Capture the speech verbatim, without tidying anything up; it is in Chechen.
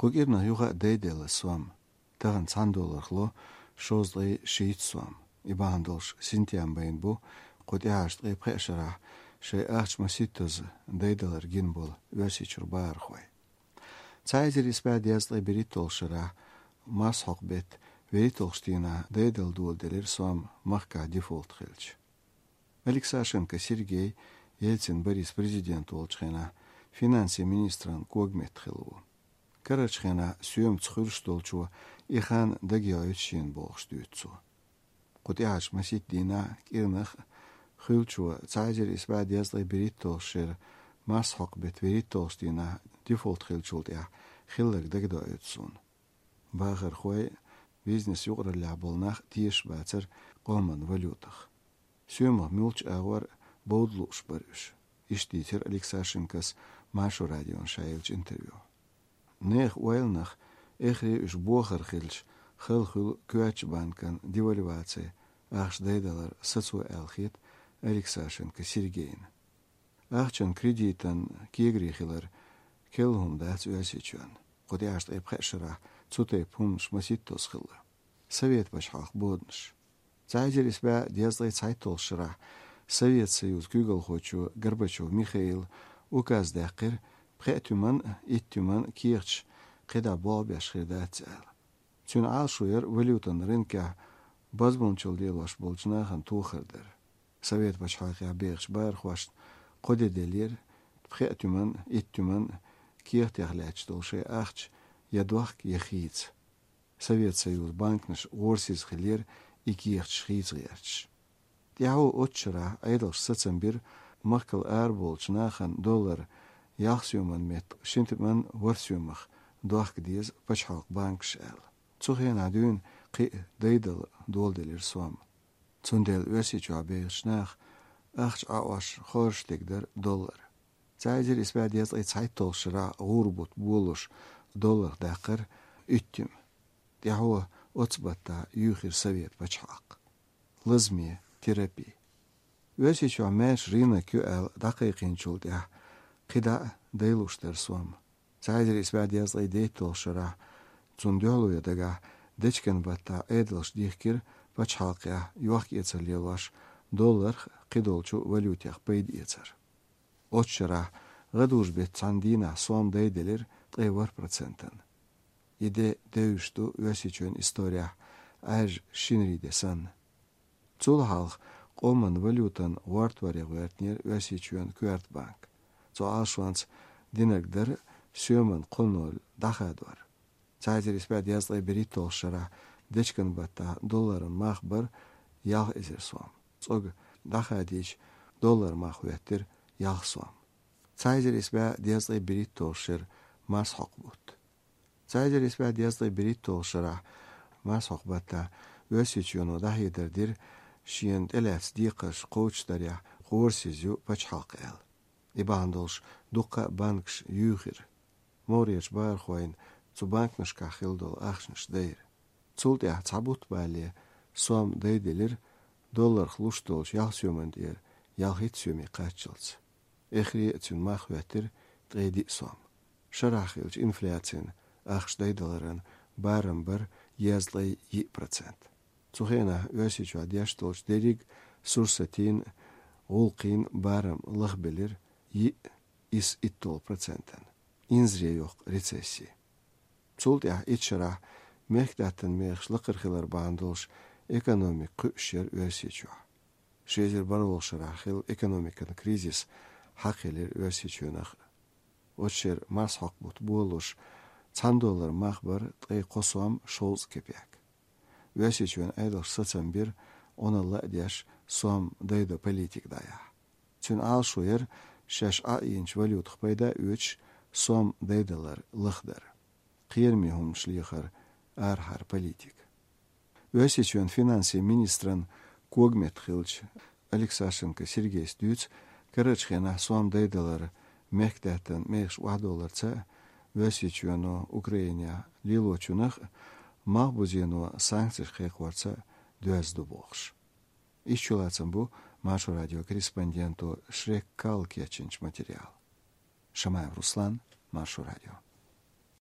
Кху кӀирнах юха а дайделла сом. Тахан цхьан долларах ло шовзткъе шийтта сом. И бахьана долуш синтем байна бу кху тӀаьхьарчу ткъе пхеа шарахь шайн ахча масийттаза дайдалар гина болу Оьрсийчуьра бахархой. Цхьа эзар исс бӀе дезткъе берхӀитталгӀачу шарахь марсхьокху беттан берхӀитталгӀачу дийнахь дайдала доладелира сом махкахь дефолт хилча. Алексашенко Сергей, Ельцин Борис президент волчу хенахь, финансийн министран когаметта хилла ву. Карарчу хенахь соьмаца хуьлуш долчо и хан дагайоуьйту шена бохуш дуьйцу цо. Кху тӀаьхьарчу масийтта дийнахь кӀирнах хуьлучо цхьа эзар исс бӀе дезткъе берхӀитталгӀачу шеран марсхьокху беттан берхӀитталгӀачу дийнахь дефолт хилчул тӀаьхьа хилларг дагадоуьйту суна. Бахархой, бизнес юкъараллехь болу нах тешаш бацара къоман валютах. Соьмах муьлххачу агӀор бовда лууш бара уьш, иштта дийцира Алексашенкос Маршо радиона ша еллачу интервьюхь. Нехан ойланах, эххар уьш бохар хилча, хала хуьлу коьртачу банкан девальваци, ахча дайдалар сацо аьлла хета Алексашенко Сергейна. Ахчан, кредитан кегари хилар керла хӀума дац Оьрсийчоьнна. Кху тӀаьхьарчу ткъе пхеа шарахь цу тайпа хӀуманаш масийттаза хилла. Совет пачхьалкхан боданаш. Цхьа эзар исс бӀе дезткъе цхьайтталгӀачу шарахь Совет Союзан куьйгалхочо Горбачев Михаила указ даьккхира пхеа туьман а, итт туьман а кехаташ кхидӀа болх беш хир дац аьлла. Цуьнан Ӏалашо яра валютан рынкехь бозбуунчалла лелош болчу нахана тохар дар. Совет пачхьалкхехь бехачу бахархошна кхо де деллера пхеа туьман а, итт туьман а кехатех лаьтташ долу шайн ахча я дохка, я хийца. Совет Союзан банканаш гӀорасиза хиллера и кехаташ хийца гӀерташ. ТӀаьхьо оццу шарахь Ӏедалша сацам бира махкал арабовлучу нахана доллар ялх соьман метта шина туьман ворхӀ соьмах дохка деза пачхьалкхан банкаша аьлла. Цу хенахь дуьйна кхин а дайдала доладелира сом. Цундела Оьрсийчохь бехачу наха ахча Ӏаош хоржуш дерг дара доллар. Цхьа эзар исс бӀе дезткъе цхьайтталгӀачу шарахь гӀура бутт болалуш долларх даьккхира итт туьма. ТӀаьхьо оццу баттахь юьйхира Совет пачхьалкх. Лазаме, терапи. Оьрсийчохь маьрша рынок ю аьлла дӀакхайкхийначул тӀаьхьа кхидӀа а дайлуш дара сом. Цхьа эзар исс бӀе дезткъе дейтталгӀачу шарахь, цунна дуьхьало ян дагахь, дечкен баттахь Ӏедалша дихкира пачхьалкхехь йохк-эцар лелош долларх а, кхидолчу валютех пайда эцар. Оццу шарахь гӀадужу беттан цхьана дийнахь сом дайделира ткъе ворхӀ процентана. И де девзаш ду Оьрсийчоьнан исторехь Ӏаьржа шинарин де санна. Цул хьалха къоман валютан гӀортор ян гӀоьртинера Оьрсийчоьнан коьрта банк. Цу Ӏалашонца динарг дара соьман кхо ноль дӀахадор. Цхьа эзар исс бӀе дезткъе берхӀитталгӀачу шарахь дечкен баттахь долларан мах бара ялх эзар сом. ЦӀога дӀахадийча, долларан мах хӀоьттира ялх сом. Цхьа эзар исс бӀе дезткъе берхӀитталгӀачу шеран марсхьокху бутт. Цхьа эзар исс бӀе дезткъе берхӀитталгӀачу шарахь марсхьокху баттахь Оьрсийчоьно дӀахьедар дира, шена тӀелаьцна декхарш кхочушдарехь гӀорасиз ю пачхьалкх аьлла. И бахьана долуш дуккха а банкаш юьйхира. МогӀарерчу бахархойн цу банкнашкахь хилла долу ахчанаш дайра. Цул тӀаьхьа цхьа бутт балале сом дайделира долларх луш долчу ялх соьман тӀера ялхитта соьме кхаччалц. Эххар а цуьнан мах хӀоьттира ткъе диъ сом. Шарахь хиллачу инфляцин, ахча дайдаларан, барам бара дезткъе йиъ процент. Цу хенахь Оьрсийчохь деш долчу дерриг а сурсатийн, гӀуллакхийн барам лахбелира йиъ исс итталгӀа процентана. Инзаре йоккху рецесси. Цул тӀаьхьа итт шарахь мехкдаьттан мехаш лакхара хилар бахьана долуш экономика кхуьуш яра Оьрсийчохь. Ши эзар бархӀалгӀачу шарахь хилла экономикан кризис хьакхаелира Оьрсийчоьнах. Оцу шеран марсхьокху бутт болалуш, цхьана долларан мах бара ткъе кхо сом шовзткъа кепек. Оьрсийчоьнан Ӏедалша сацам бира Ӏуналла а деш сом дайдо политика дӀаяхьа. Цуьнан Ӏалашо яра шаьш Ӏаийначу валютах пайда а оьцуш сом дайдалар лахдар. Кхераме хӀуманаш лехар арахьара политика. Оьрсийчоьнан финансийн министран когаметта хиллачу Алексашенко Сергейс дуьйцу, карарчу хенахь сом дайдалар мехкдаьттан мехаш охьадовларца а, Оьрсийчоьно Украинехь лелочунах а, малхбузено санкцеш кхайкхорца а доьзна ду бохуш. Иштта чулацам бу Маршо радион корреспонденто Шрек Калла кечйинчу материалан. Шамаев Руслан, Маршо радио.